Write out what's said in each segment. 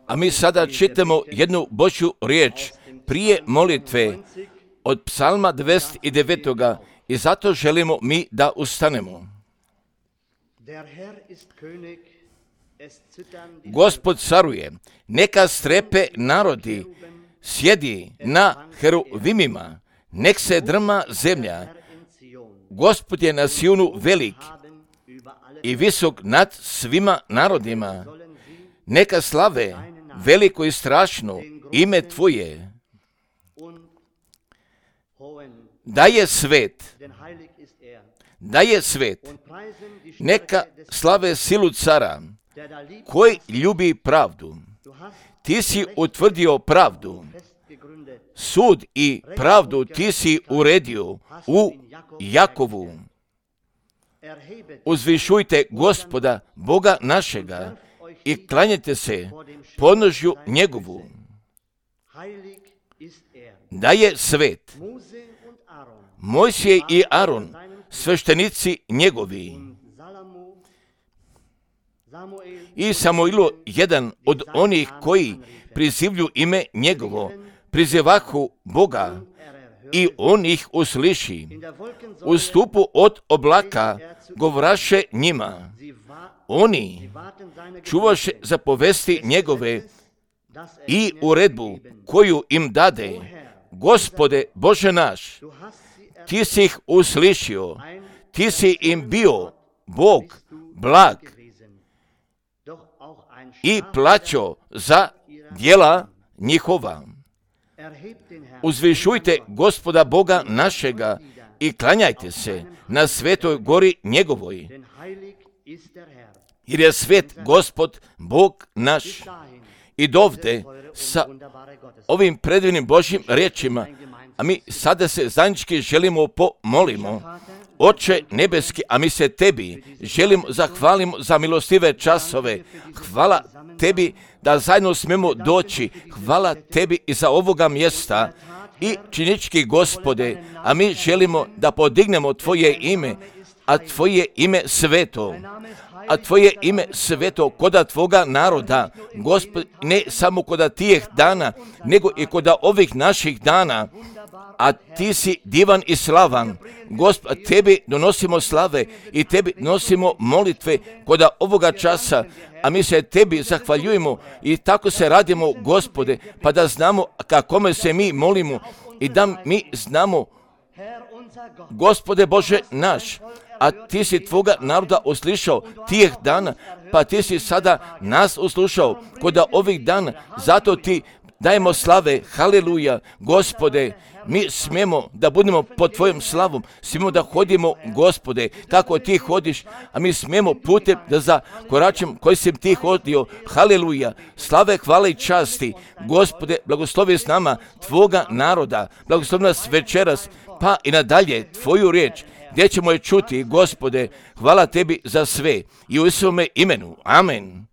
A mi sada čitamo jednu Božju riječ prije molitve od Psalma 29. i zato želimo mi da ustanemo. Gospod caruje, neka strepe narodi, sjedi na heruvimima, nek se drma zemlja. Gospod je na Sionu velik i visok nad svima narodima. Neka slave veliko i strašno ime Tvoje. Da je svet, neka slave silu cara, koji ljubi pravdu. Ti si utvrdio pravdu, sud i pravdu ti si uredio u Jakovu. Uzvišujte Gospoda, Boga našega, i klanjajte se podnožju njegovu. Da je svet, Mojsije i Aron, sveštenici njegovi. I Samuilu, jedan od onih koji prizivlju ime njegovo, prizivahu Boga i on ih usliši. U stupu od oblaka govoraše njima. Oni čuvaše zapovesti njegove i uredbu koju im dade. Gospode Bože naš, ti si ih uslišio, ti si im bio Bog blag i plaćo za djela njihova. Uzvišujte Gospoda Boga našega i klanjajte se na svetoj gori njegovoj, jer je svet Gospod Bog naš. I dovde sa ovim predivnim Božjim riječima, a mi sada se zajednički želimo pomolimo. Oče nebeski, a mi se Tebi želimo zahvalimo za milostive časove. Hvala Tebi da zajedno smemo doći. Hvala Tebi i za ovoga mjesta. I činički Gospode, a mi želimo da podignemo Tvoje ime, a Tvoje ime sveto. A Tvoje ime sveto koda Tvoga naroda, Gospod, ne samo koda tijeh dana, nego i koda ovih naših dana. A Ti si divan i slavan. Gospod, Tebi donosimo slave i Tebi donosimo molitve koda ovoga časa, a mi se Tebi zahvaljujemo i tako se radimo, Gospode, pa da znamo kakome se mi molimo i da mi znamo, Gospode Bože naš, a Ti si Tvoga naroda uslišao tijeh dana, pa Ti si sada nas uslušao koda ovih dana, zato Ti dajemo slave, haleluja, Gospode, mi smijemo da budemo pod Tvojom slavom, smijemo da hodimo, Gospode, kako Ti hodiš, a mi smijemo putem da za koračem koji si Ti hodio, haleluja, slave, hvale i časti, Gospode, blagoslovi s nama Tvoga naroda, blagoslovi nas večeras, pa i nadalje Tvoju riječ, gdje ćemo je čuti, Gospode, hvala Tebi za sve i u Isuvome imenu, amen.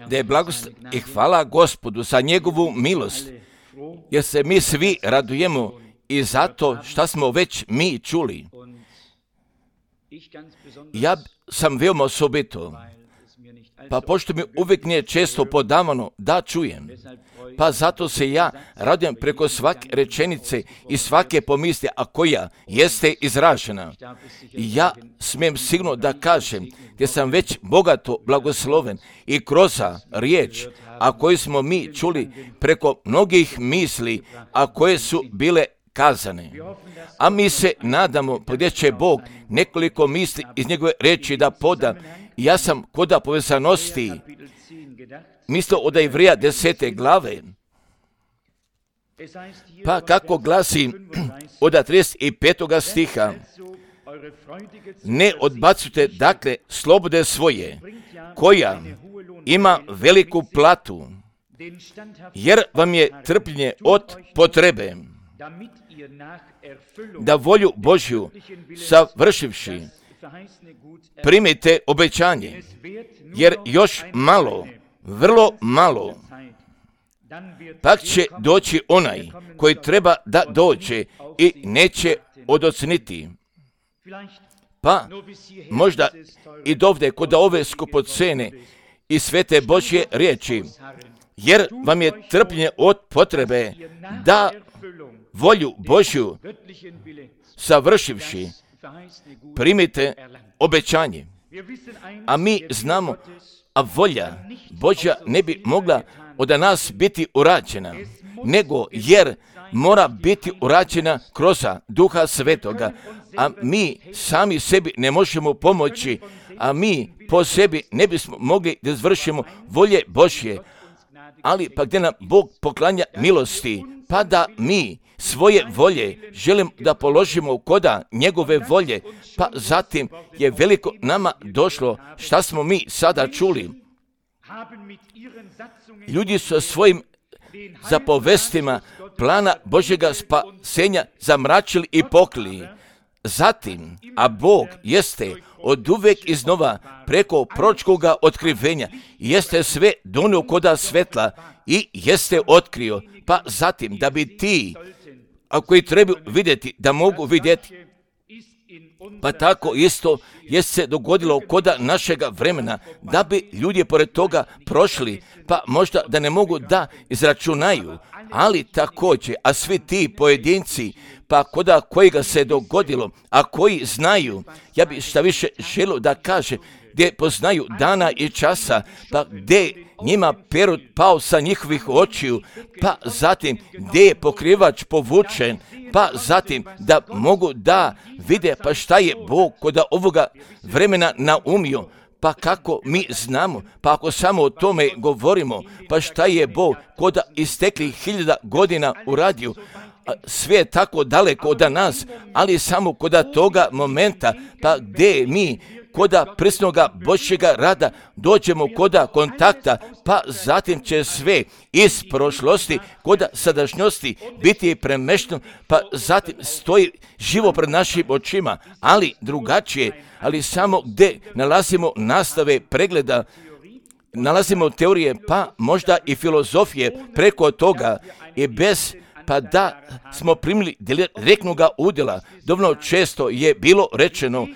Da je blagost i hvala Gospodu za njegovu milost, jer se mi svi radujemo i zato što smo već mi čuli. Ja sam veoma osobito, pa pošto mi uvijek nije često podavano da čujem, pa zato se ja radujem preko svake rečenice i svake pomisli, a koja jeste izražena. I ja smijem sigurno da kažem, gdje sam već bogato blagosloven i kroz riječ, a koju smo mi čuli preko mnogih misli, a koje su bile kazane. A mi se nadamo gdje će Bog nekoliko misli iz njegove reči da poda. Ja sam koda povezanosti mislio od Ivreja 10. glave. Pa kako glasi od 35. stiha, ne odbacujte dakle slobode svoje, koja ima veliku platu, jer vam je trpljenje od potrebe, da volju Božju savršivši primite obećanje, jer još malo, vrlo malo, pak će doći onaj koji treba da dođe i neće odoceniti. Pa možda i dovde kod ove skupocene i svete Božje riječi, jer vam je trpljenje od potrebe da volju Božju savršivši primite obećanje. A mi znamo, a volja Božja ne bi mogla od nas biti urađena, nego jer mora biti urađena kroz Duha Svetoga, a mi sami sebi ne možemo pomoći, a mi po sebi ne bismo mogli da izvršimo volje Božje, ali pa gdje nam Bog poklanja milosti, pa da mi svoje volje želim da položimo koda njegove volje, pa zatim je veliko nama došlo šta smo mi sada čuli. Ljudi su svojim zapovestima plana Božjega spasenja zamračili i pokrili. Zatim, a Bog jeste od uvek iznova preko proročkoga otkrivenja, jeste sve donio koda svetla i jeste otkrio, pa zatim da bi ti, a koji trebaju vidjeti, da mogu vidjeti, pa tako isto je se dogodilo koda našega vremena, da bi ljudi pored toga prošli, pa možda da ne mogu da izračunaju, ali također, a svi ti pojedinci, pa koda kojega se dogodilo, a koji znaju, ja bi šta više želio da kaže, gdje poznaju dana i časa, pa gdje njima perut pao sa njihovih očiju, pa zatim gdje je pokrivač povučen, pa zatim da mogu da vide pa šta je Bog kod ovoga vremena naumio, pa kako mi znamo, pa ako samo o tome govorimo, pa šta je Bog kod isteklih 1000 godina uradio, sve je tako daleko od nas, ali samo kod toga momenta, pa gdje mi koda prisnoga Božjega rada dođemo koda kontakta, pa zatim će sve iz prošlosti koda sadašnjosti biti premešteno, pa zatim stoji živo pred našim očima, ali drugačije, ali samo gdje nalazimo nastave pregleda, nalazimo teorije, pa možda i filozofije preko toga i bez pa da smo primili direktnoga udjela. Dovoljno često je bilo rečeno,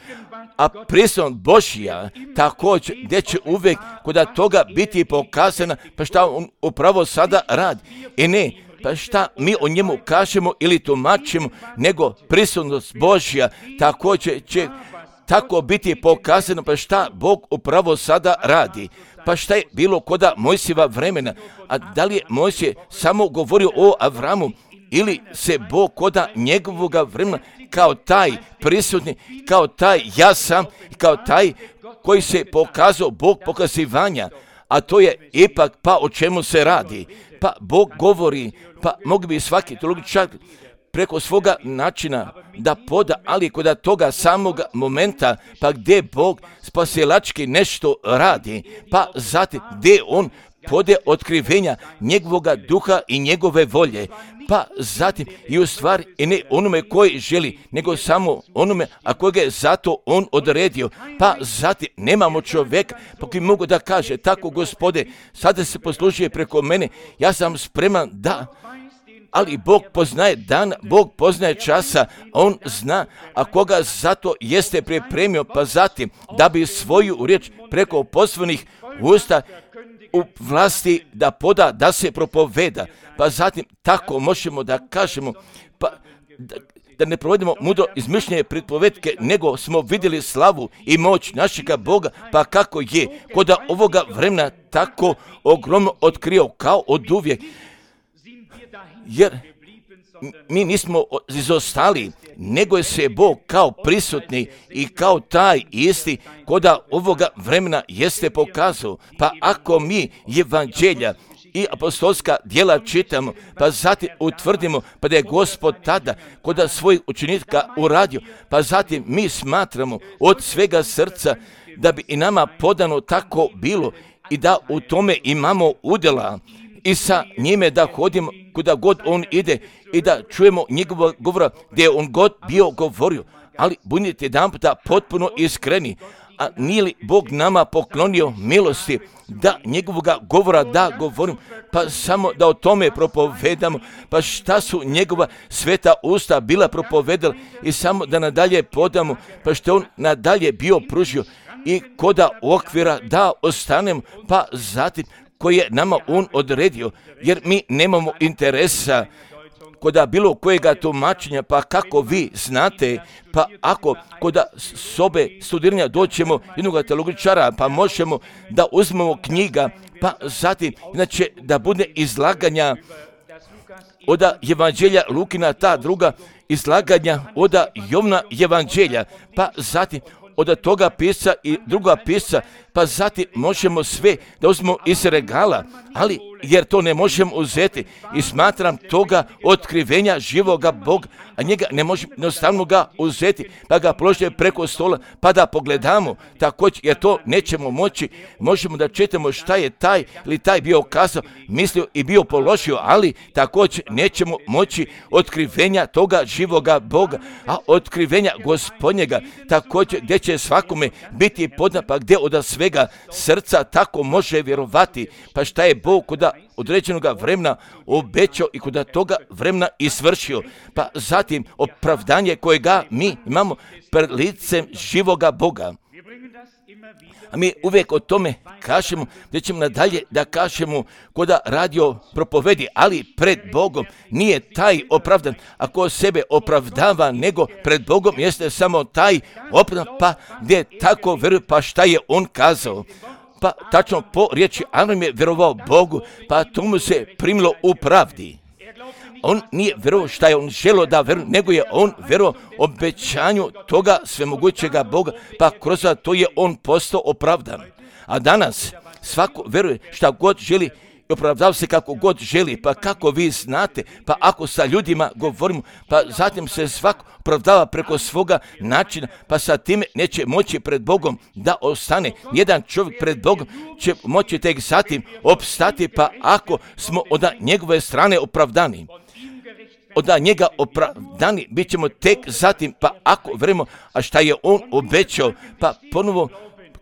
a prisutnost Božja također gdje će uvijek kod toga biti pokazana, pa šta on upravo sada radi. I ne, pa šta mi o njemu kažemo ili tumačimo, nego prisutnost Božja također će tako biti pokazano, pa šta Bog upravo sada radi. Pa šta je bilo koda Mojsijeva vremena, a da li je Mojsije samo govorio o Avramu, ili se Bog koda njegovoga vremena kao taj prisutni, kao taj ja sam, kao taj koji se pokazao Bog pokazivanja, a to je ipak pa o čemu se radi. Pa Bog govori, pa mogli bi svaki teologičar preko svoga načina da poda, ali kod toga samog momenta, pa gdje Bog spasilački nešto radi, pa zatim gdje on pode otkrivenja njegovoga duha i njegove volje, pa zatim i u stvari i ne onome koji želi, nego samo onome, a kojega je zato on odredio, pa zatim nemamo čovjeka, pa koji mogu da kaže, tako Gospode, sada se poslužuje preko mene, ja sam spreman da, ali Bog poznaje dan, Bog poznaje časa, on zna, a koga zato jeste pripremio, pa zatim da bi svoju riječ preko poslovnih usta u vlasti da poda, da se propoveda, pa zatim tako možemo da kažemo, pa da ne provedemo mudro izmišljene pripovetke, nego smo vidjeli slavu i moć našega Boga, pa kako je kod ovoga vremena tako ogromno otkrio kao od uvijek. Jer mi nismo izostali, nego je se Bog kao prisutni i kao taj isti koda ovoga vremena jeste pokazao. Pa ako mi evanđelja i apostolska djela čitamo, pa zatim utvrdimo pa da je Gospod tada koda svojih učenika uradio, pa zatim mi smatramo od svega srca da bi i nama podano tako bilo i da u tome imamo udjela i sa njime da hodimo kuda god on ide i da čujemo njegovog govora gdje on god bio govorio. Ali budite jedan puta potpuno iskreni, a nije li Bog nama poklonio milosti da njegovoga govora da govorim, pa samo da o tome propovedamo, pa šta su njegova sveta usta bila propovedala i samo da nadalje podamo, pa što on nadalje bio pružio i koda okvira da ostanemo, pa zatim koje je nama on odredio, jer mi nemamo interesa koda bilo kojega tumačenja, pa kako vi znate, pa ako koda sobe studiranja doćemo jednog teologičara, pa možemo da uzmemo knjiga, pa zatim, znači da bude izlaganja od evanđelja Lukina, ta druga izlaganja od Jovna evanđelja, pa zatim od toga pisca i druga pisca, pa zatim možemo sve da uzmemo iz regala, ali jer to ne možemo uzeti i smatram toga otkrivenja živoga Boga, a njega ne možemo jednostavno ga uzeti, pa ga položiti preko stola, pa da pogledamo također, jer to nećemo moći. Možemo da čitamo šta je taj ili taj bio kazao, mislio i bio položio, ali također nećemo moći otkrivenja toga živoga Boga, a otkrivenja Gospodnjega također gdje će svakome biti poznat, pa gdje od svega srca tako može vjerovati, pa šta je Bog kod određenog vremena obećao i kod toga vremena i svršio. Pa zatim opravdanje kojega mi imamo pred licem živoga Boga. A mi uvijek o tome kažemo, da ćemo nadalje da kažemo koda radio propovedi, ali pred Bogom nije taj opravdan. Ako sebe opravdava, nego pred Bogom jeste samo taj opravdan, pa gdje tako veruje, pa šta je on kazao. Pa tačno po riječi Avram je vjerovao Bogu, pa to mu se primilo u pravdi. On nije vjerovao šta je on želio da vjeruje, nego je on vjerovao obećanju toga svemogućega Boga, pa kroz to je on postao opravdan. A danas svako vjeruje šta god želi i opravdava se kako god želi, pa kako vi znate, pa ako sa ljudima govorimo, pa zatim se svako opravdava preko svoga načina, pa sa time neće moći pred Bogom da ostane. Jedan čovjek pred Bogom će moći tek zatim opstati, pa ako smo od njegove strane opravdani. Od njega opravdani bit ćemo tek zatim, pa ako vjerujemo, a šta je on obećao, pa ponovo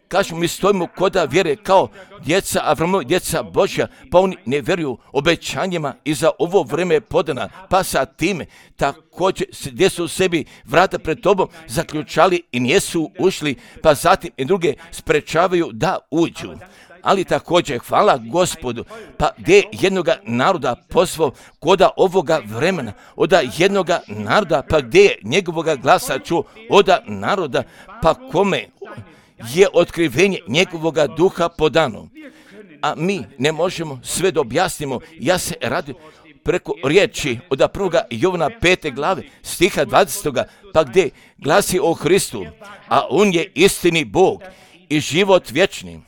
kažemo, mi stojimo koda vjere kao djeca Avramova, djeca Božja, pa oni ne vjeruju obećanjima i za ovo vrijeme je podana, pa sa time također gdje su sebi vrata pred tobom zaključali i nijesu ušli, pa zatim i druge sprečavaju da uđu. Ali također, hvala Gospodu, pa gdje jednoga naroda pozvao koda ovoga vremena, od jednoga naroda, pa gdje je njegovoga glasa čuo od naroda, pa kome je otkrivenje njegovoga duha podano. A mi ne možemo sve da objasnimo. Ja se radim preko riječi od 1. Jovana 5. glave stiha 20. pa gdje glasi o Hristu, a on je istini Bog i život vječni.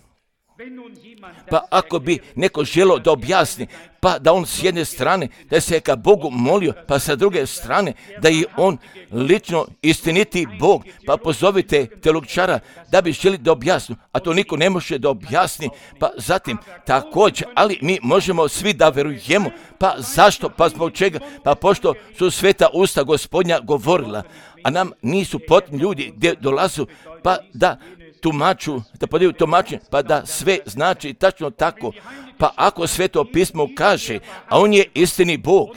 Pa ako bi neko želio da objasni, pa da on s jedne strane da se ka Bogu molio, pa sa druge strane da je on lično istiniti Bog, pa pozovite teologičara da bi želi da objasni, a to niko ne može da objasni, pa zatim također, ali mi možemo svi da verujemo, pa zašto, pa zbog čega, pa pošto su sveta usta Gospodnja govorila, a nam nisu potrebni ljudi gdje dolazu, pa da tumaču, da podaju tumačenje, pa da sve znači tačno tako. Pa ako Sveto pismo kaže, a on je istini Bog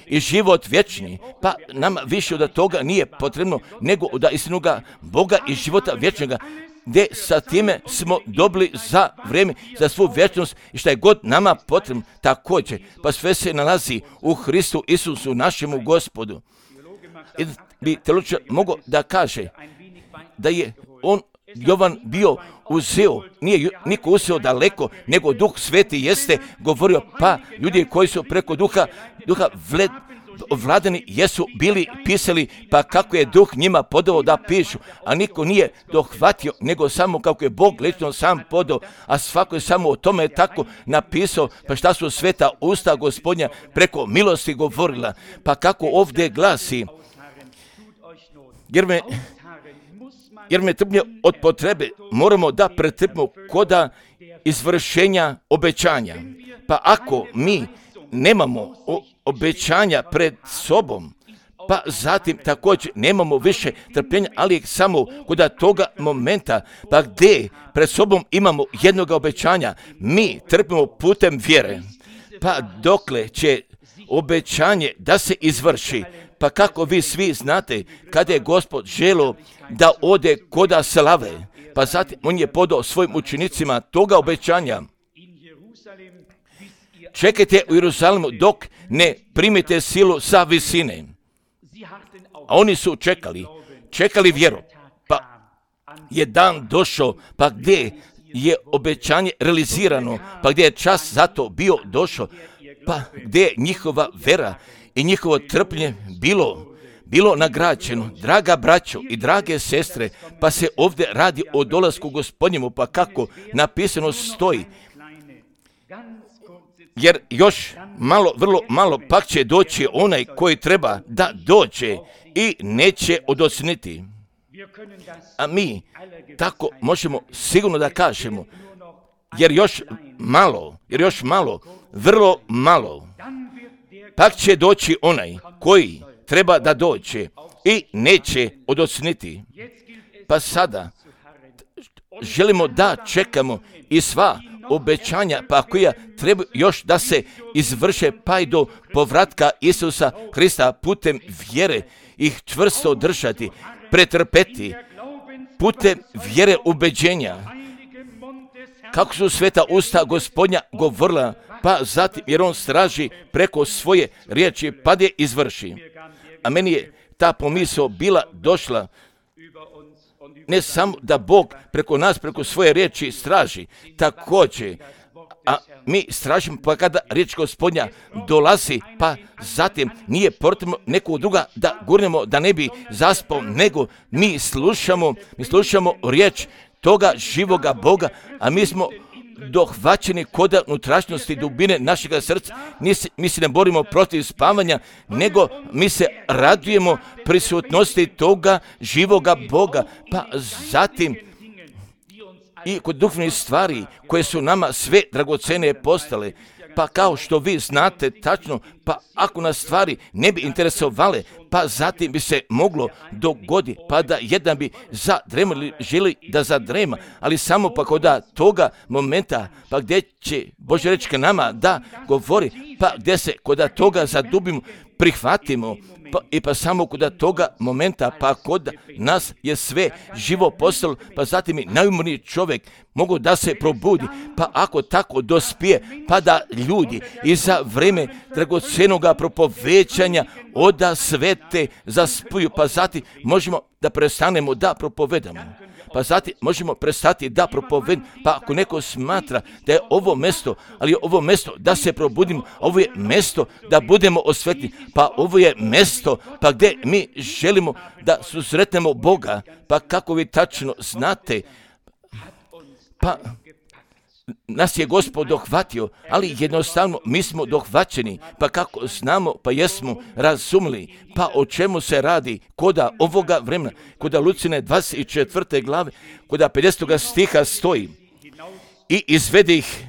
i život vječni, pa nama više od toga nije potrebno nego od istinoga Boga i života vječnoga, gdje sa time smo dobili za vrijeme, za svu vječnost i šta je god nama potrebno također, pa sve se nalazi u Hristu Isusu, našemu Gospodu. I bi teologičar mogao da kaže da je on Jovan bio uzeo, nije niko uzeo daleko, nego Duh Sveti jeste govorio, pa ljudi koji su preko duha vladani jesu bili pisali, pa kako je duh njima podao da pišu, a niko nije dohvatio, nego samo kako je Bog lično sam podao, a svako je samo o tome tako napisao, pa šta su sveta usta Gospodnja preko milosti govorila, pa kako ovdje glasi, jer me trpnje od potrebe moramo da pretrpimo koda izvršenja obećanja. Pa ako mi nemamo obećanja pred sobom, pa zatim također nemamo više trpljenja, ali samo kod toga momenta, pa gdje pred sobom imamo jednog obećanja, mi trpimo putem vjere. Pa dokle će obećanje da se izvrši, pa kako vi svi znate, kada je Gospod želio da ode koda slave, pa zatim on je podao svojim učenicima toga obećanja. Čekajte u Jeruzalemu dok ne primite silu sa visine. A oni su čekali vjeru. Pa je dan došao, pa gdje je obećanje realizirano, pa gdje je čas za to bio došao, pa gdje je njihova vera i njihovo trpljenje bilo nagrađeno. Draga braćo i drage sestre, pa se ovdje radi o dolasku Gospodnjemu, pa kako napisano stoji, jer još malo, vrlo malo, pak će doći onaj koji treba da dođe i neće odosniti. A mi tako možemo sigurno da kažemo, jer još malo, vrlo malo, pak će doći onaj koji treba da dođe i neće odosniti. Pa sada želimo da čekamo i sva obećanja, pa koja treba još da se izvrše, pa i do povratka Isusa Hrista putem vjere ih čvrsto držati, pretrpeti putem vjere ubeđenja. Kako su sveta usta Gospodnja govorila, pa zatim jer on straži preko svoje riječi, pa je izvrši. A meni je ta pomisao bila došla, ne samo da Bog preko nas, preko svoje riječi straži, također, a mi stražimo pa kada riječ Gospodnja dolazi, pa zatim nije potrebno nekog druga da gurnemo da ne bi zaspao, nego mi slušamo riječ toga živoga Boga, a mi smo dohvaćeni kod unutrašnjosti dubine našega srca. Mi se ne borimo protiv spavanja, nego mi se radujemo prisutnosti toga živoga Boga. Pa zatim i kod duhovnih stvari koje su nama sve dragocene postale, pa kao što vi znate tačno, pa ako nas stvari ne bi interesovale, pa zatim bi se moglo dogoditi, pa da jedan bi zadremao ili želi da zadrema, ali samo pa kod toga momenta, pa gdje će Božja riječ nama da govori, pa gdje se kod toga zadubimo, prihvatimo, pa samo kod toga momenta, pa kod nas je sve živo postalo, pa zatim i najumorniji čovjek mogu da se probudi, pa ako tako dospije, pa da ljudi i za vrijeme dragocenoga propovećanja oda svete zaspuju, pa zatim možemo da prestanemo da propovedamo. Pa zatim možemo prestati da propovedamo, pa ako neko smatra da je ovo mjesto, ali je ovo mjesto da se probudimo, ovo je mjesto da budemo osvetni, pa ovo je mjesto pa gdje mi želimo da susretnemo Boga, pa kako vi tačno znate, pa nas je Gospod dohvatio, ali jednostavno mi smo dohvaćeni, pa kako znamo, pa jesmo razumili, pa o čemu se radi koda ovoga vremena, koda Lucine 24. glave, koda 50. stiha stoji, i izvede ih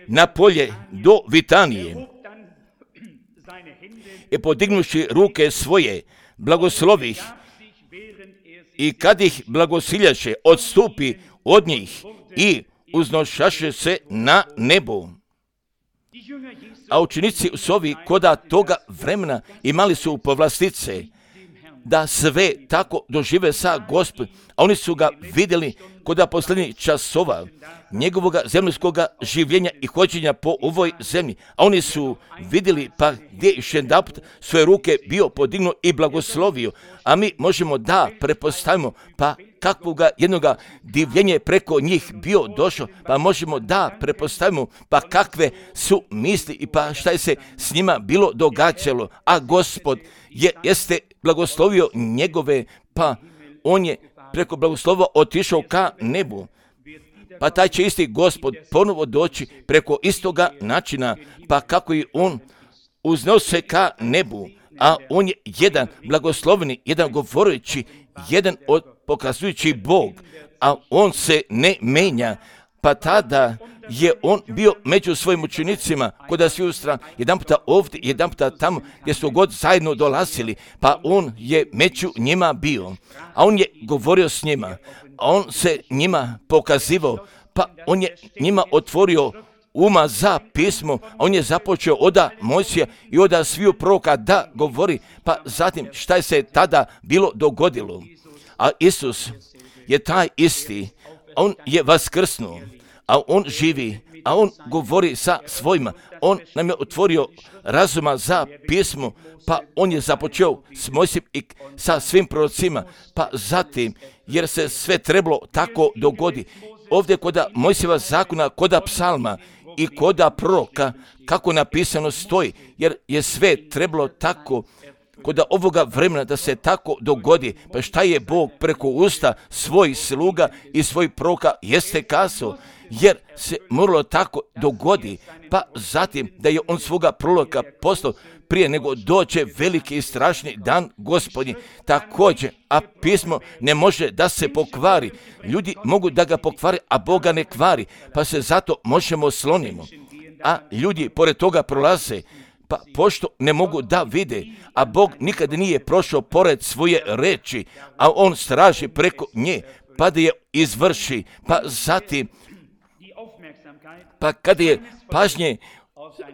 na polje do Vitanije, i podignuši ruke svoje, blagoslovih, i kad ih blagosiljaše, odstupi od njih i uznošaše se na nebo. A učenici su ovi koda toga vremena imali su povlastice da sve tako dožive sa Gospodom, a oni su ga vidjeli koda posljednjih časova njegovog zemaljskog življenja i hođenja po ovoj zemlji, a oni su vidjeli pa gdje još jedanput svoje ruke bio podignuo i blagoslovio, a mi možemo da prepostavimo pa kakvoga jednoga divljenje preko njih bio došao, pa možemo da prepostavimo pa kakve su misli i pa šta je se s njima bilo događalo, a Gospod jeste blagoslovio njegove, pa on je preko blagoslova otišao ka nebu. Pa taj će isti Gospod ponovo doći preko istoga načina, pa kako i on uznose ka nebu, a on je jedan blagosloveni, jedan govoreći, jedan pokazujući Bog, a on se ne menja. Pa tada je on bio među svojim učenicima, kod svi ustra, jedan puta ovdje, jedan puta tamo, gdje su god zajedno dolazili, pa on je među njima bio, a on je govorio s njima, a on se njima pokazivao, pa on je njima otvorio uma za pismo, a on je započeo od Mojsija i od sviju proroka da govori, pa zatim šta je se tada bilo dogodilo. A Isus je taj isti, on je vaskrsnuo, a on živi, a on govori sa svojima, on nam je otvorio razuma za pismo, pa on je započeo s Mojsijem i sa svim prorocima, pa zatim, jer se sve trebalo tako dogodi, ovdje kod Mojsijeva zakona, kod psalma i kod proroka, kako napisano stoji, jer je sve trebalo tako kod ovoga vremena da se tako dogodi. Pa šta je Bog preko usta svojih sluga i svojih proroka jeste kazao, jer se moralo tako dogodi, pa zatim da je on svoga proroka poslao prije nego dođe veliki i strašni dan Gospodnji. Također, a pismo ne može da se pokvari. Ljudi mogu da ga pokvari, a Boga ne kvari, pa se zato možemo slonimo. A ljudi pored toga prolaze, pa pošto ne mogu da vide, a Bog nikad nije prošao pored svoje reči, a on straži preko nje, pa da je izvrši, pa zatim, pa kada je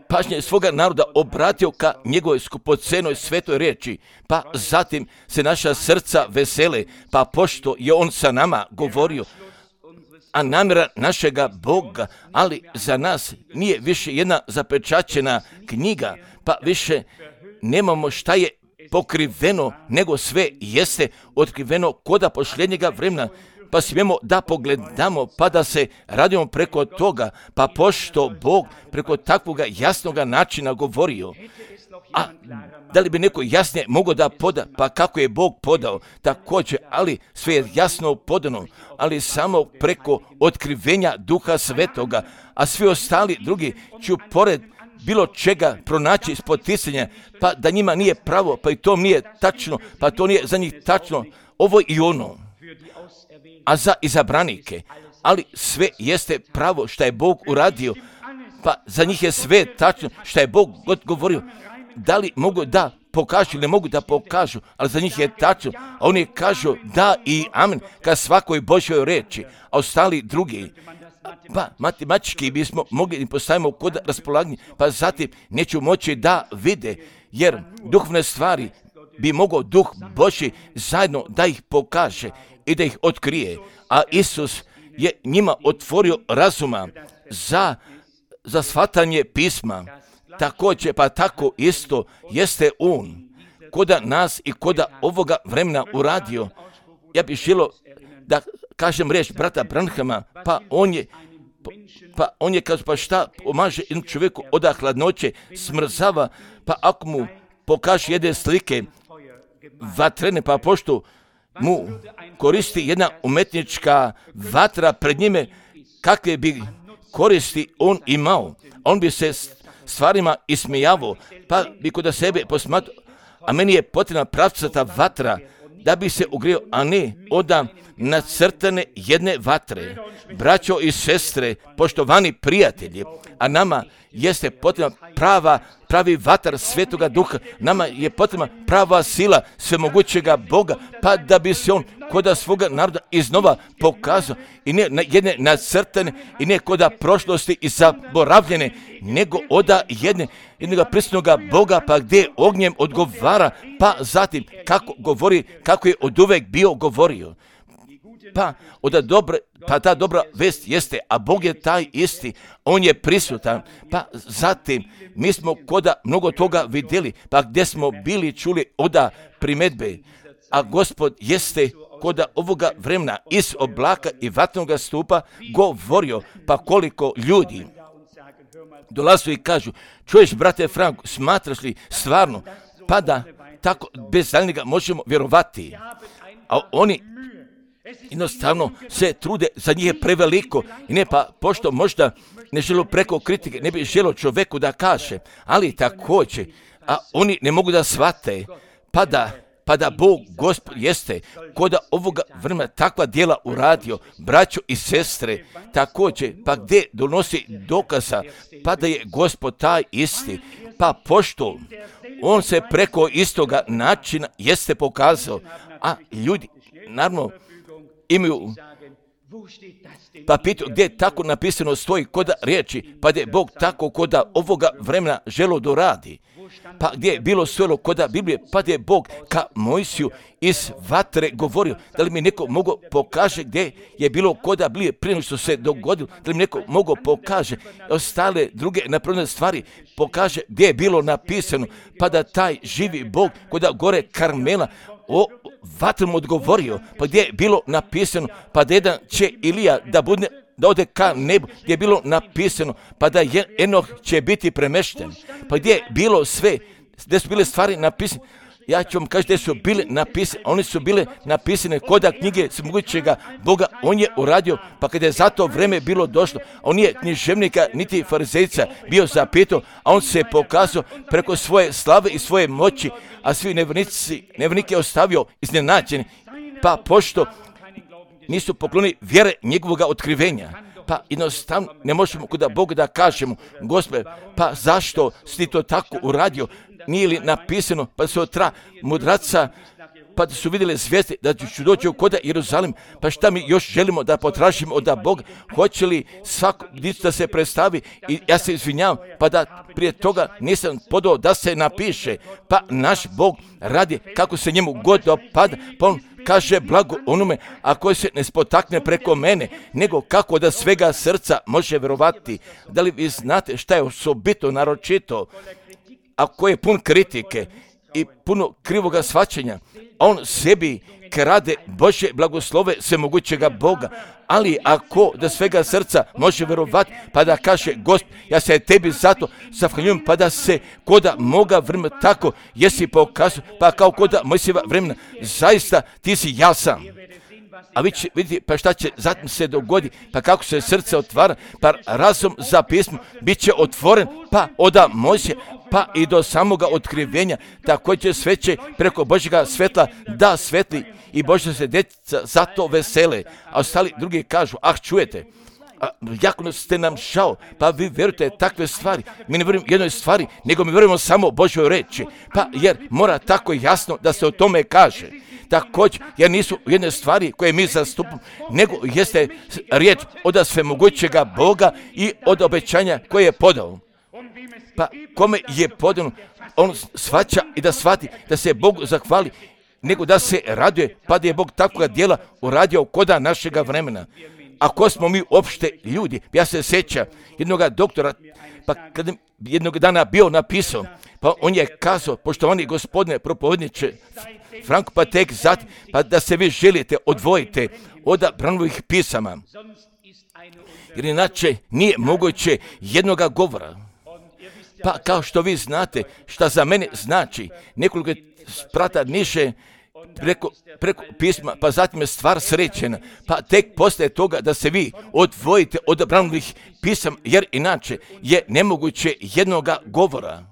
pažnje svoga naroda obratio ka njegovoj skupocenoj svetoj reči, pa zatim se naša srca vesele, pa pošto je on sa nama govorio, a namjera našega Boga, ali za nas nije više jedna zapečaćena knjiga, pa više nemamo šta je pokriveno, nego sve jeste otkriveno koda posljednjega vremena, pa smijemo da pogledamo, pa da se radimo preko toga, pa pošto Bog preko takvoga jasnoga načina govorio, a da li bi neko jasnije mogao da poda, pa kako je Bog podao, također, ali sve je jasno podano, ali samo preko otkrivenja Duha Svetoga, a svi ostali drugi ću pored bilo čega pronaći spoticanja, pa da njima nije pravo, pa i to nije tačno, pa to nije za njih tačno, ovo i ono, a za izabranike, ali sve jeste pravo što je Bog uradio, pa za njih je sve tačno što je Bog govorio. Da li mogu da pokažu ili ne mogu da pokažu, ali za njih je tačno, a oni kažu da i amen ka svakoj Božjoj reči, a ostali drugi, pa matematički bismo mogli da postavimo kod raspolaganja, pa zatim neću moći da vide, jer duhovne stvari bi mogao Duh Božji zajedno da ih pokaže i da ih otkrije, a Isus je njima otvorio razuma za shvatanje pisma. Također, pa tako isto jeste on koda nas i koda ovoga vremena uradio. Ja bih želio da kažem riječ brata Branhama, pa on je kaže, pa šta pomaže jednom čovjeku od hladnoće, smrzava, pa ako mu pokaže jedne slike vatrene, pa pošto mu koristi jedna umetnička vatra pred njime, kakve bi koristi on imao, on bi se stvarima ismijavao, pa bi kod sebe posmatrao, a meni je potrebna pravcata vatra da bi se ugrio, a ne od nacrtane jedne vatre. Braćo i sestre, poštovani prijatelji, a nama jeste potrebna pravi vatar Svetoga Duha, nama je potrebna prava sila svemogućega Boga, pa da bi se on koda svoga naroda iznova pokazao i ne jedne nacrtane i ne koda prošlosti i zaboravljene, nego oda jednoga prisutnoga Boga, pa gdje ognjem odgovara, pa zatim kako govori, kako je od uvek bio govorio. Pa ta dobra vest jeste, a Bog je taj isti, on je prisutan, pa zatim mi smo koda mnogo toga vidjeli, pa gdje smo bili čuli oda primedbe, a Gospod jeste koda ovoga vremena iz oblaka i vatnoga stupa govorio, pa koliko ljudi dolazu i kažu, čuješ brate Franko, smatraš li stvarno, pa da tako bez daljnjega možemo vjerovati, a oni jednostavno se trude, za njih je preveliko i ne, pa pošto možda ne žele preko kritike, ne bi želo čovjeku da kaže, ali također, a oni ne mogu da shvate, pa da Bog, Gospod, jeste koda ovoga vremena takva djela uradio, braćo i sestre, također, pa gdje donosi dokaza, pa da je Gospod taj isti, pa pošto on se preko istoga načina jeste pokazao, a ljudi, naravno, imaju, pa pitaju gdje tako napisano stoji koda riječi, pa da je Bog tako koda ovoga vremena želo doradi. Pa gdje je bilo stojalo koda Biblije, pa da je Bog ka Mojsiju iz vatre govorio. Da li mi neko mogo pokaže gdje je bilo koda Biblije prije nego što se dogodilo, da li mi neko mogo pokaže ostale druge napravljene stvari, pokaže gdje je bilo napisano, pa da taj živi Bog koda gore Karmela o vatrom odgovorio, pa gdje je bilo napisano, pa da jedan će Ilija da ode ka nebu, gdje je bilo napisano, pa da Enoh će biti premešten, pa gdje je bilo sve, gdje su bile stvari napisane, ja ću vam kaži gdje su bile napisane, one su bile napisane koda knjige svemogućega Boga, on je uradio, pa kada je za to vreme bilo došlo, on nije književnika niti farizejca bio zapitao, a on se pokazao preko svoje slave i svoje moći, a svi nevernike ostavio iznenađeni, pa pošto nisu poklonili vjere njegovoga otkrivenja, pa jednostavno ne možemo kod Boga da kažemo, Gospode, pa zašto si to tako uradio, nije li napisano, pa se otra mudraca, pa su vidjeli zvijezde da ću doći u koda Jeruzalim, pa šta mi još želimo da potražimo od Boga, hoće li svako da se predstavi i ja se izvinjavam, pa da prije toga nisam podao da se napiše, pa naš Bog radi kako se njemu god dopada, pa on kaže blago onome, a koji se ne spotakne preko mene, nego kako da svega srca može vjerovati. Da li vi znate šta je osobito naročito, ako je pun kritike i puno krivoga shvaćanja, on sebi krade Božje blagoslove svemogućega Boga, ali ako da svega srca može vjerovati, pa da kaže, Gospod, ja se tebi zato zahvaljujem, pa da se koda moga vremena tako jesi pokazao, pa kao koda Mojsijeva vremena, zaista ti si jasan. A vi vidite, pa šta će zatim se dogoditi, pa kako se srce otvara, pa razum za pismo bit će otvoren, pa od Mojsija, pa i do samoga otkrivenja, također sve će preko Božjega svetla da svetli i Božja se djeca zato vesele, a ostali drugi kažu, čujete, jako ste nam žao, pa vi vjerujete takve stvari, mi ne vjerujemo jednoj stvari, nego mi vjerujemo samo Božjoj reči, pa jer mora tako jasno da se o tome kaže. Također, jer nisu jedne stvari koje mi zastupamo, nego jeste riječ od svemogućega Boga i od obećanja koje je podao. Pa kome je podano, on shvaća i da shvati da se Bogu zahvali, nego da se raduje, pa da je Bog takvoga djela uradio koda našega vremena. Ako smo mi uopšte ljudi, ja se sjećam jednog doktora, pa kada jednog dana bio napisao, pa on je kazao, poštovani gospodine propovedniče Franko, pa tek zatim, pa da se vi želite odvojite od Branovih pisama, jer inače nije moguće jednoga govora. Pa kao što vi znate šta za mene znači, nekoliko sprata niže preko pisma, pa zatim je stvar srećena, pa tek poslije toga da se vi odvojite od Branovih pisama, jer inače je nemoguće jednoga govora.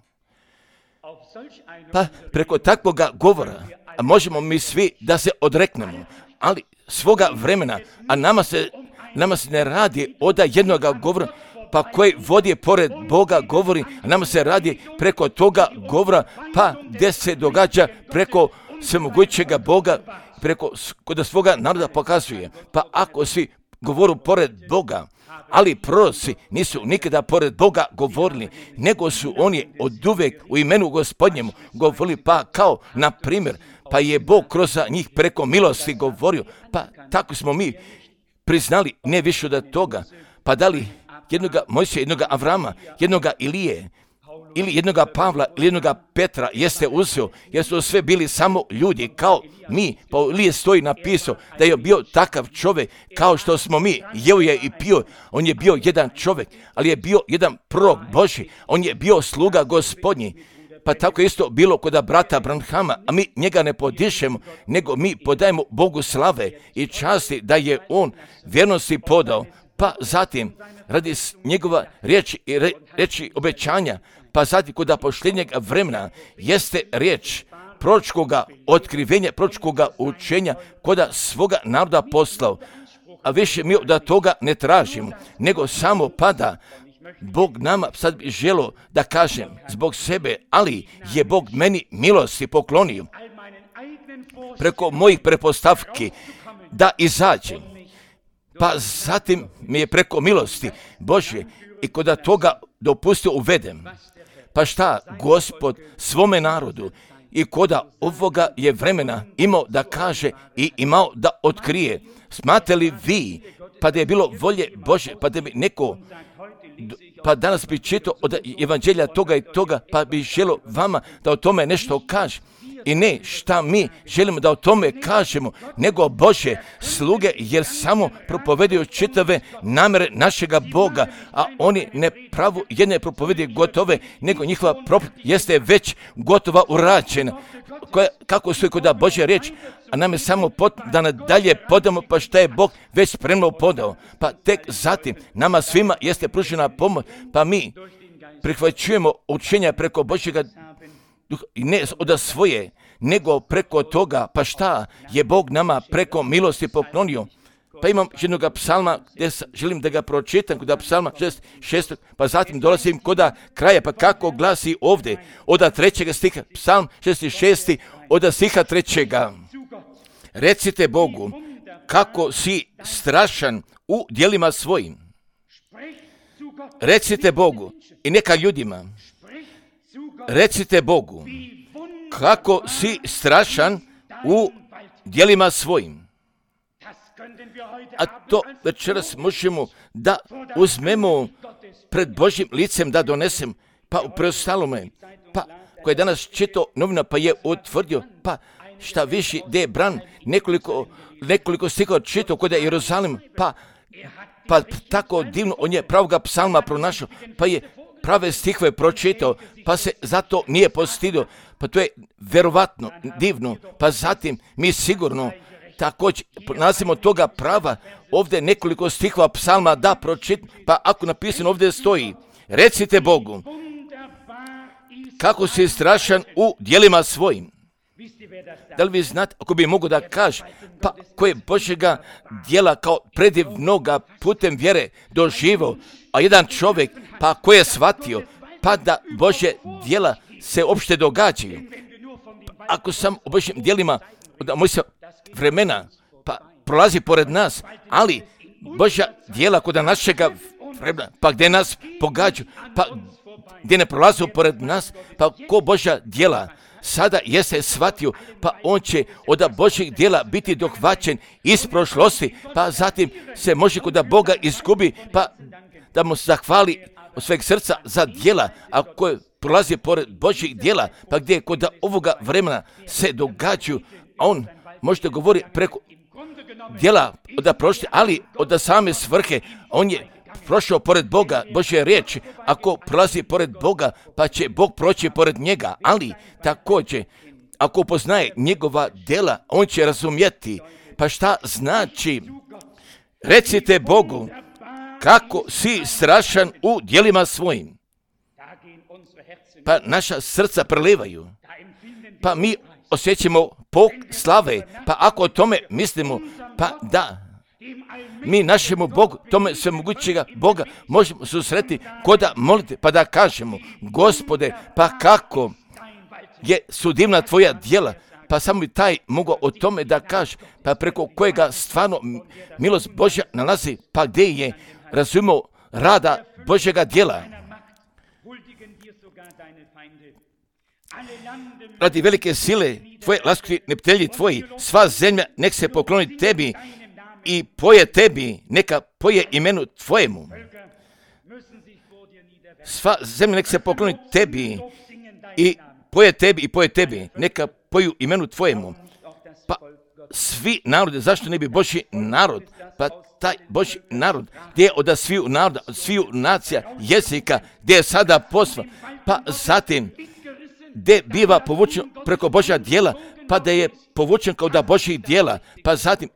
Pa preko takvoga govora možemo mi svi da se odreknemo, ali svoga vremena, a nama se ne radi od jednoga govora, pa koji vodi pored Boga govori, a nama se radi preko toga govora, pa gdje se događa preko svemogućega Boga, preko kod svoga naroda pokazuje. Pa ako svi govoru pored Boga, ali proroci nisu nikada pored Boga govorili, nego su oni oduvijek u imenu Gospodnjemu govorili, pa kao na primjer, pa je Bog kroz njih preko milosti govorio, pa tako smo mi priznali, ne više od toga, pa da li jednoga Mojsija, jednoga Avrama, jednoga Ilije ili jednoga Pavla ili jednoga Petra jeste uzeo, jer su sve bili samo ljudi kao mi. Pa Ilije stoji napisao da je bio takav čovjek kao što smo mi. Jeo je i pio, on je bio jedan čovjek, ali je bio jedan prorok Božji, on je bio sluga Gospodnji. Pa tako isto bilo kod brata Branhama, a mi njega ne podišemo, nego mi podajemo Bogu slave i časti da je on vjernosti podao. Pa zatim, radi njegova riječi i riječi obećanja, pa zatim kod posljednjeg vremena jeste riječ proročkoga otkrivenja, proročkoga učenja kod svoga naroda poslao. A više mi da toga ne tražimo, nego samo pada. Bog nama sad bi želio da kažem zbog sebe, ali je Bog meni milosti poklonio preko mojih pretpostavki da izađem. Pa zatim mi je preko milosti Božje i kod toga dopustio uvedem. Pa šta Gospod svome narodu i kod ovoga je vremena imao da kaže i imao da otkrije. Smatrate li vi, pa da je bilo volje Božje, pa da bi neko, pa danas bi čitao od evanđelja toga i toga, pa bi želio vama da o tome nešto kaže. I ne šta mi želimo da o tome kažemo, nego Bože sluge, jer samo propovedaju čitave namere našega Boga, a oni ne pravu jedne propovedi gotove, nego njihova propoved jeste već gotova urađena. Kako su kod Božja riječ, a nam je samo da nadalje podamo, pa šta je Bog već spremno podao. Pa tek zatim nama svima jeste pružena pomoć, pa mi prihvaćujemo učenja preko Božjega duha, i ne od svoje, nego preko toga, pa šta je Bog nama preko milosti poklonio. Pa imam jednog psalma gdje želim da ga pročitam, kod psalma 6, pa zatim dolazim kod kraja, pa kako glasi ovdje, od 3. stiha, psalm 66, od stiha 3. Recite Bogu, kako si strašan u djelima svojim. Recite Bogu i neka ljudima, recite Bogu, kako si strašan u djelima svojim. A to večeras možemo da uzmemo pred Božjim licem da donesem, pa u preostalome, pa koji je danas čitao novina pa je utvrdio, pa šta više gdje je Bran nekoliko stihova čitao kod je Jeruzalim, pa tako divno on je pravoga psalma pronašao, pa je prave stihove pročitao, pa se zato nije postidio. Pa to je verovatno divno. Pa zatim mi sigurno također nalazimo toga prava ovdje nekoliko stihova psalma da pročitam, pa ako napisano ovdje stoji, recite Bogu, kako si strašan u djelima svojim. Da li vi znate, ako bi mogu da kaže, pa koje Božjega djela kao predivnoga putem vjere doživio, a jedan čovjek, pa ko je shvatio, pa da Božje djela se uopšte događaju. Ako sam u Božjim djelima, da moj se vremena, pa prolazi pored nas, ali Božja djela kod našega vremena, pa gdje nas pogađaju, pa gdje ne prolazu pored nas, pa ko Božja djela sada jeste shvatio, pa on će od Božjih djela biti dohvaćen iz prošlosti, pa zatim se može kod Boga izgubi, pa da mu zahvali od sveg srca za djela, a koje prolazi pored Božjih djela, pa gdje kod ovoga vremena se događaju, on možete govori preko djela od prošle, ali od same svrhe, on je prošao pored Boga, Božje riječi, ako prolazi pored Boga, pa će Bog proći pored njega, ali također, ako poznaje njegova djela, on će razumjeti, pa šta znači, recite Bogu, kako si strašan u djelima svojim. Pa naša srca prelivaju, pa mi osjećamo pok slave, pa ako o tome mislimo, pa da, mi našemu Bogu, tome svemogućega Boga, možemo susreti koda molite, pa da kažemo, Gospode, pa kako su divna tvoja djela, pa samo i taj mogu o tome da kaže, pa preko kojega stvarno milost Božja nalazi, pa gdje je razumio rada Božjega djela. Radi velike sile tvoje laskvi neptelji tvoji, sva zemlja nek se pokloni tebi i poje tebi, neka poje imenu tvojemu. sva zemlja nek se pokloni tebi i poje tebi, neka poju imenu tvojemu. Pa svi narode, zašto ne bi Božji narod? Pa taj Božji narod, gdje je od sviju naroda, od sviju nacija, jezika, gdje je sada posva, pa zatim gdje biva povučen preko Božja djela, pa da je povučen kao da Božjih djela, pa zatim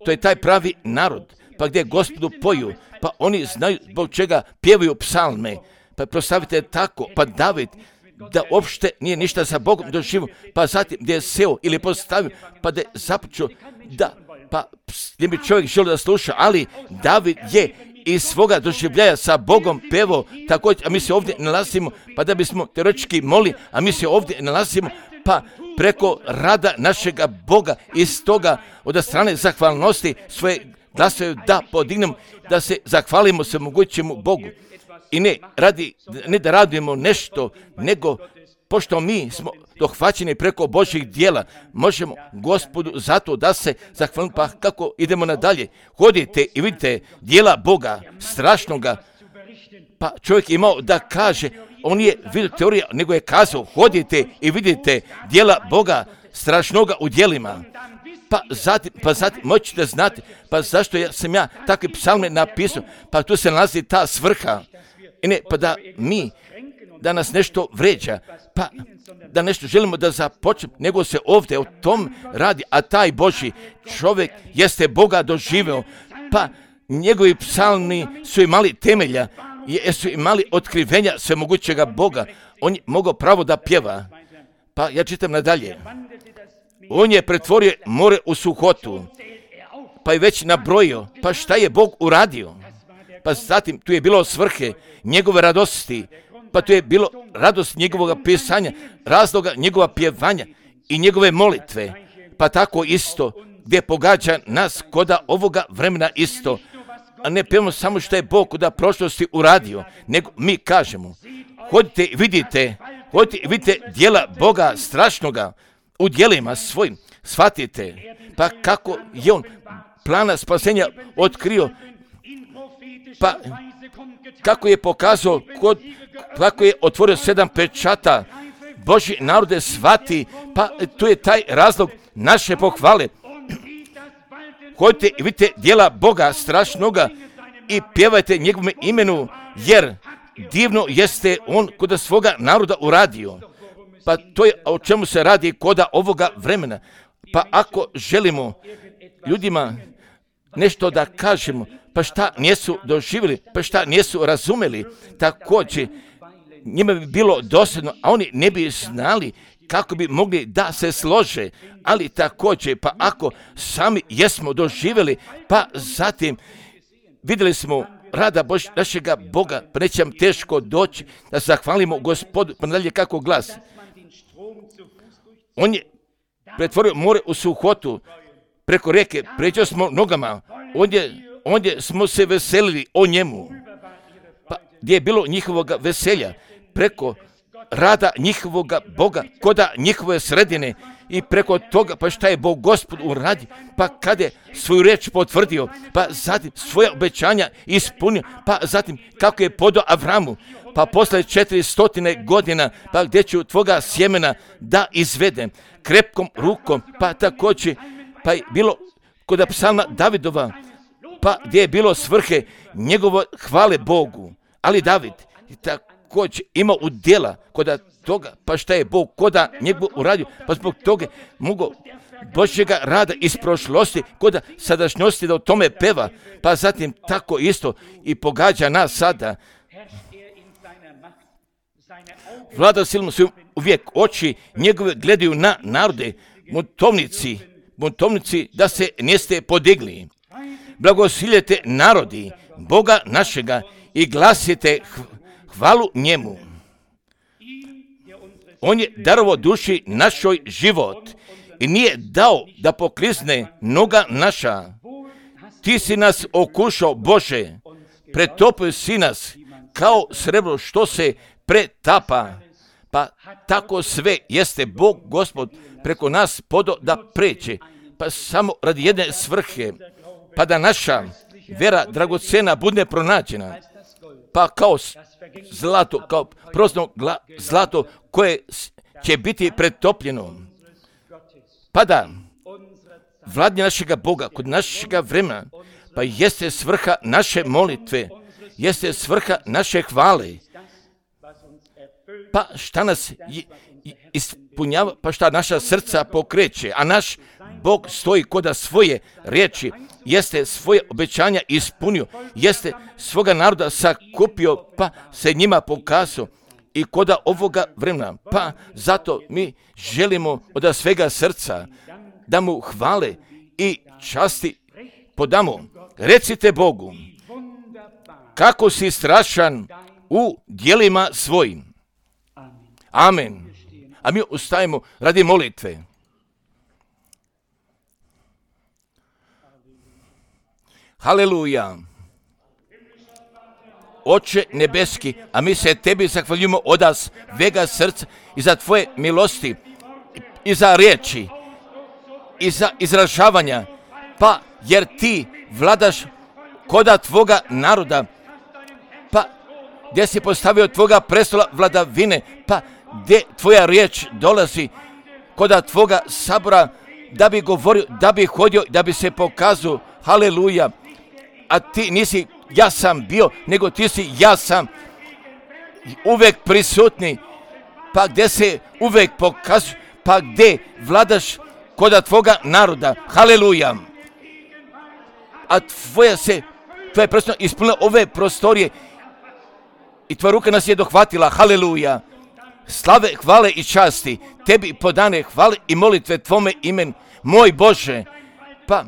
to je taj pravi narod, pa gdje Gospodu poju, pa oni znaju zbog čega pjevaju psalme, pa proslavite tako, pa David, da uopšte nije ništa sa Bogom doživio, pa zatim gdje je seo ili postavio, pa da je započeo da, pa gdje bi čovjek želio da sluša, ali David je iz svoga doživljaja sa Bogom pevao također, a mi se ovdje nalazimo, pa da bismo teoretički molili, a mi se ovdje nalazimo, pa preko rada našega Boga iz toga od strane zahvalnosti svoje glasove da podignemo, da se zahvalimo se mogućemu Bogu. I ne da radimo nešto, nego pošto mi smo dohvaćeni preko Božjih djela, možemo Gospodu zato da se zahvalimo. Pa kako idemo nadalje? Hodite i vidite djela Boga, strašnoga. Pa čovjek je imao da kaže, on je vidio teorija, nego je kazao, hodite i vidite djela Boga, strašnoga u djelima. Pa zatim moćete znati, pa zašto sam ja takve psalme napisao, pa tu se nalazi ta svrha. I ne, pa da nas nešto vređa, pa da nešto želimo da započnemo, nego se ovdje o tom radi, a taj Božji čovjek jeste Boga doživeo, pa njegovi psalmi su imali temelja, su imali otkrivenja svemogućega Boga, on je mogao pravo da pjeva. Pa ja čitam nadalje. On je pretvorio more u suhotu, pa je već nabrojio, pa šta je Bog uradio? Pa zatim tu je bilo svrhe njegove radosti, pa tu je bilo radost njegovog pisanja, razloga njegova pjevanja i njegove molitve, pa tako isto gdje pogađa nas koda ovoga vremena isto, a ne pjevamo samo što je Bog koda prošlosti uradio, nego mi kažemo, hodite i vidite djela Boga strašnoga u djelima svojim, shvatite, pa kako je on plana spasenja otkrio, pa kako je pokazao, kako je otvorio 7 pečata, Božji narode shvati, pa tu je taj razlog naše pohvale. Hodite i vidite djela Boga strašnoga i pjevajte njegovom imenu, jer divno jeste on kod svoga naroda uradio. Pa to je o čemu se radi koda ovoga vremena. Pa ako želimo ljudima nešto da kažemo, pa šta nisu doživjeli, pa šta nisu razumeli, također njima bi bilo dosadno, a oni ne bi znali kako bi mogli da se slože, ali također, pa ako sami jesmo doživjeli, pa zatim vidjeli smo rada našega Boga, pa neće nam teško doći da zahvalimo Gospodu, pa nadalje kako glas. On je pretvorio more u suhotu, preko rijeke, pređo smo nogama, ondje smo se veselili o njemu, pa gdje je bilo njihovoga veselja, preko rada njihovoga Boga, koda njihove sredine i preko toga, pa šta je Bog Gospod uradio, pa kada je svoju riječ potvrdio, pa zatim svoje obećanja ispunio, pa zatim kako je podao Avramu, pa posle 400 godina, pa gdje ću tvoga sjemena da izvedem krepkom rukom, pa također, pa je bilo kod psalma Davidova, pa gdje je bilo svrhe njegove hvale Bogu, ali David također ima udjela kod toga, pa šta je Bog koda njegov uradio, pa zbog toga mogu Božjega rada iz prošlosti, koda sadašnjosti da o tome peva, pa zatim tako isto i pogađa nas sada. Vlada silom su uvijek oči njegove gledaju na narode, buntovnici da se niste podigli. Blagosiljete narodi Boga našega i glasite hvalu njemu. On je darovao duši našoj život i nije dao da poklizne noga naša. Ti si nas okušao, Bože, pretopio si nas kao srebro što se pretapa. Pa tako sve jeste Bog Gospod preko nas podo da pređe, pa samo radi jedne svrhe, pa da naša vera dragocena bude pronađena, pa kao zlato, kao prosno zlato koje će biti pretopljeno. Pa da, vladnje našega Boga kod našega vremena, pa jeste svrha naše molitve, jeste svrha naše hvale. Pa šta nas ispunjava, pa šta naša srca pokreće, a naš Bog stoji koda svoje riječi, jeste svoje obećanja ispunio, jeste svoga naroda sakupio, pa se njima pokazao i koda ovoga vremena. Pa zato mi želimo od svega srca da mu hvale i časti podamo. Recite Bogu, kako si strašan u djelima svojim. Amen. A mi ustajemo radi molitve. Haleluja. Oče nebeski, a mi se tebi zahvaljujemo od svega srca i za tvoje milosti i za riječi i za izražavanja, pa jer ti vladaš koda tvoga naroda, pa gdje si postavio tvoga prestola vladavine, pa gdje tvoja riječ dolazi koda tvoga sabora, da bi govorio, da bi hodio, da bi se pokazao. Haleluja. A ti nisi ja sam bio, nego ti si ja sam uvek prisutni, pa gdje se uvek pokazuje, pa gdje vladaš koda tvoga naroda. Haleluja. A tvoja prsto ispunila ove prostorije i tvoja ruka nas je dohvatila. Haleluja. Slave, hvale i časti tebi podane, hvale i molitve tvome imenu, moj Bože, pa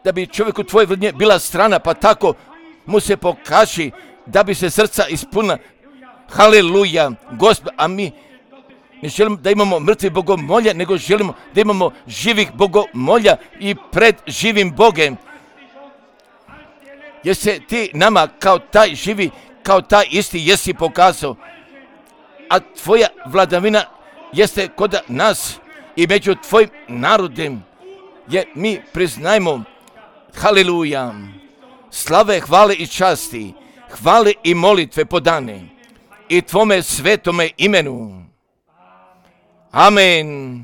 da bi čovjeku tvoje vladnje bila strana, pa tako mu se pokaži da bi se srca ispunila. Haleluja, Gospod, a mi ne želimo da imamo mrtvi bogomolja, nego želimo da imamo živih bogomolja i pred živim Bogem. Jer se ti nama kao taj živi, kao taj isti jesi pokazao, a tvoja vladavina jeste kod nas i među tvojim narodem, jer mi priznajmo. Haleluja, slave, hvale i časti, hvale i molitve podane i tvome svetome imenu. Amen.